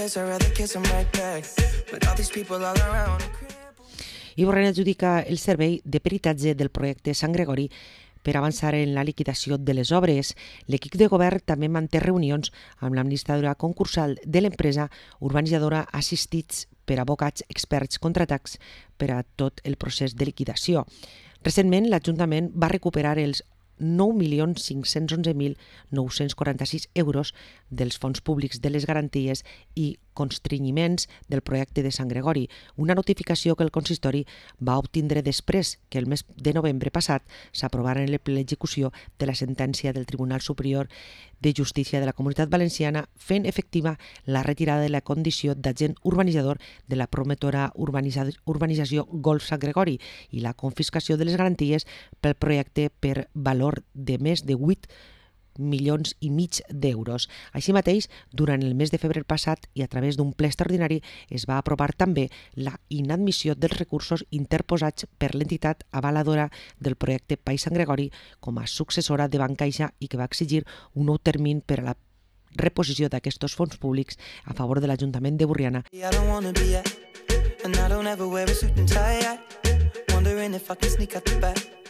letters, I'd rather kiss them right back. But all these people all around. I Borrell adjudica el servei de peritatge del projecte Sant Gregori per avançar en la liquidació de les obres. L'equip de govern també manté reunions amb l'administradora concursal de l'empresa urbanitzadora assistits per advocats experts contratats per a tot el procés de liquidació. Recentment, l'Ajuntament va recuperar els 9.511.946 euros dels fons públics de les garanties i constrenyiments del projecte de Sant Gregori, una notificació que el consistori va obtindre després que el mes de novembre passat s'aprovara l'execució de la sentència del Tribunal Superior de Justícia de la Comunitat Valenciana fent efectiva la retirada de la condició d'agent urbanitzador de la promotora urbanització Golf Sant Gregori i la confiscació de les garanties pel projecte per valor de més de 8,5 milions d'euros. Així mateix, durant el mes de febrer passat i a través d'un ple extraordinari es va aprovar també la inadmissió dels recursos interposats per l'entitat avaladora del projecte País Sant Gregori com a successora de Bancaixa i que va exigir un nou termini per a la reposició d'aquests fons públics a favor de l'Ajuntament de Borriana. And I don't ever wear a suit and tie. Wondering if I can sneak out the back.